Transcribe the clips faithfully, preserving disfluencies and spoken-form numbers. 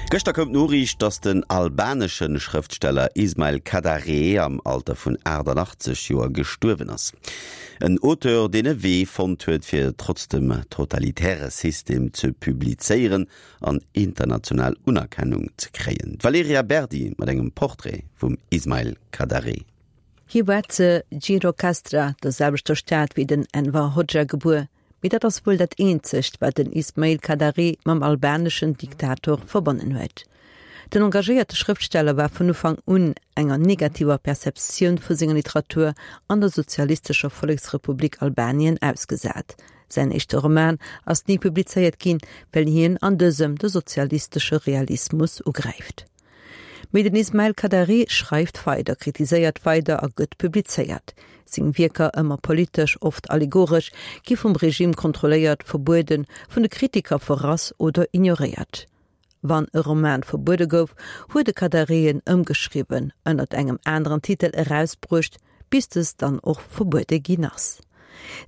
Gëschter koum d'Noriicht, datt den albanesche Schrëftsteller Ismail Kadaré am Alter vun aachtanachtzesch Joer gestuerwen ass. En Auteur, deen e Wee fonnt huet, fir trotz dem totalitäre System ze publizéieren an international Unerkennung ze kréien. D'Valerija Berdi mat engem Portrait vum Ismail Kadaré. Hie war zu Gjirokastra, der selwechter Stad wéi den Enver Hoxha, gebuer. Mee dat ass wuel dat eenzegt, wat den Ismail Kadaré mam albaneschen Diktator verbonnen huet. Den engagéierte Schrëftsteller war vun Ufank un enger negativer Perceptioun vu senger Literatur an der Sozialistescher Volleksrepublik Albanien ausgesat. Säin éischte Roman ass ni publizéiert ginn, well hien an dësem de sozialistesche Realismus ugräift. Mee den Ismail Kadaré schreift weider, kritiséiert weider a gëtt publizéiert. Seng Wierker, ëmmer politesch, oft allegoresch, gi vum Regime kontrolléiert, verbueden, vun de Kritiker verrass oder ignoréiert. Wann e Roman verbuede gouf, huet de Kadaré en ëmgeschriwwen, ënnert engem aneren Titel erausbruecht, bis dës dann och verbuede ginn ass.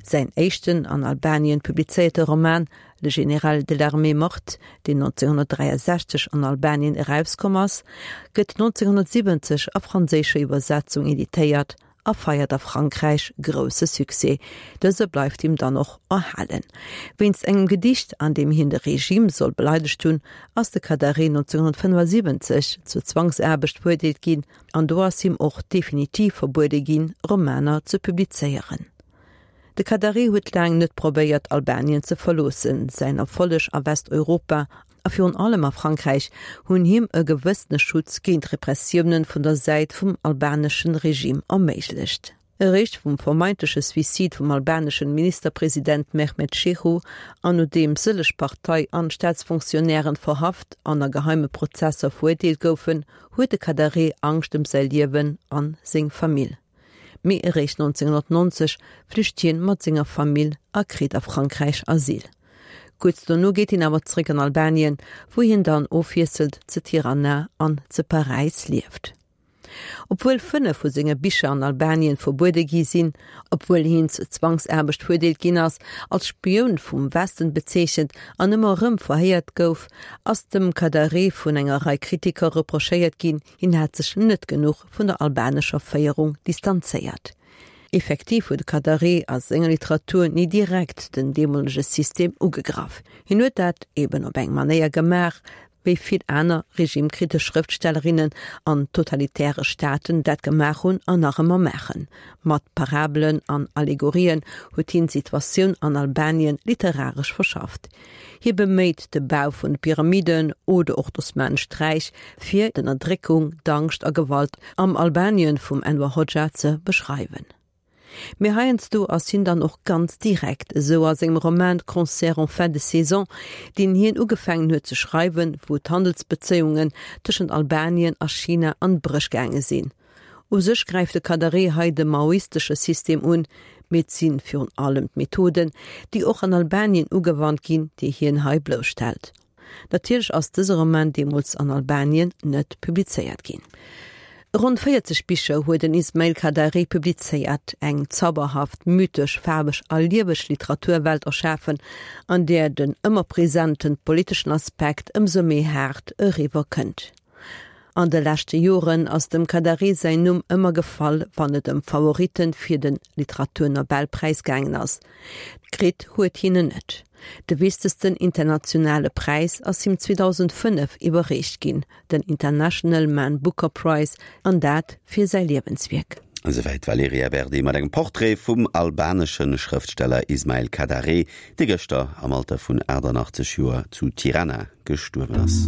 Säin éischten an Albanien publizéierte Roman Le général de l'armée morte, deen nonzénghonnertdräiasechzeg an Albanien erauskomm ass, gëtt nonzénghonnertsiwwenzeg a franséischer Iwwersetzung editéiert a feiert a Frankräich grousse Succès. Dëse bleift him dann och erhalen. Wéinst engem Gedicht, an deem hien de Regime soll beleidegt hunn, ass de Kadaré nonzénghonnertfënnefasiwwenzeg zur Zwangsaarbecht verurteelt ginn an do ass him och definitiv verbuede ginn, Romaner ze publizéieren. De Kadaré huet laang net probéiert, Albanien ze verloossen. Säin Erfolleg a Westeuropa a virun allem a Frankräich hunn him e gewëssene Schutz géint Repressioune vun der Säit vum albaneschen Regime erméiglecht. Eréischt vum vermeintleche Suicide vum albaneschen Ministerpresident Mehmet Shehu an nodeem sëlleg Partei an Staatsfonctionnairen verhaft an a geheime Prozesser verurteelt goufen, huet de Kadaré Angscht ëm säi Liewen an seng Famill. Mee eréischt nonzénghonnertnonzeg flücht hien mat senger Famill a kritt a Frankräich Asyl. Kuerz dono geet hien awer zréck an Albanien, wou hien dann ofwiesselnd zu Tirana an zu Paräis lieft. Obwuel fënnef vu senge Bicher an Albanien verbuede gi sinn, obwuel hien zur Zwangsaarbecht verurteelt ginn ass, als Spioun vum Westen bezeechent an ëmmer erëm verhéiert gouf, ass dem Kadaré vun enger Rei Kritiker reprochéiert ginn, hien hätt sech net genuch vun der albanescher Féierung distanzéiert. Effektiv huet de Kadaré a senger Literatur ni direkt den deemolege System ugegraff. Hien huet dat eben op eng Manéier gemaach, wéi vill aner regimekritesch Schrëftstellerinnen an totalitäre Staaten dat gemaach hunn an nach ëmmer maachen. Mat Parabelen an Allegorien huet hien d'Situatioun an Albanien literaresch verschafft. Hie beméit de Bau vun de Pyramiden oder och d'Osmanescht Räich, fir d'Ënnerdréckung, d'Angscht a Gewalt am Albanien vum Enver Hoxha ze beschreiwen. Mee heiansdo ass hien dann och ganz direkt, esou a sengem Roman Concert en fin de saison, deen hien ugefaangen huet ze schreiwen, wou d'Handelsbezéiungen tëschent Albanien a China an d'Bréch gaange sinn. U sech gräift de Kadaré hei de maoistesche System un, mee et si virun allem d'Methoden, déi och an Albanien ugewannt ginn, déi hien hei blousstellt. Natierlech ass dëse Roman deemools an Albanien net publizéiert ginn. Ronn véierzeg Bicher huet den Ismail Kadaré publizéiert, eng zauberhaft, mythesch, faarweg a lieweg Literaturwelt erschafen, an där den ëmmer presenten politeschen Aspekt ëmsou méi haart eriwwer kënnt. An de leschte Joren ass dem Kadaré säin Numm ëmmer gefall, wann et ëm Favoritte fir de Literaturnobelpräis gaangen ass. Kritt huet hien en net. De wichtegsten internationale Präis ass him zweedausendfënnef iwwerreecht ginn, den International Man Booker Prize, an dat fir säi Liewenswierk. Esouwäit d'Valerija Berdi mat engem Portrait vum albanesche Schrëftsteller Ismail Kadaré, dee gëschter am Alter vun aachtanachtzesch Joer zu Tirana gestuerwen ass.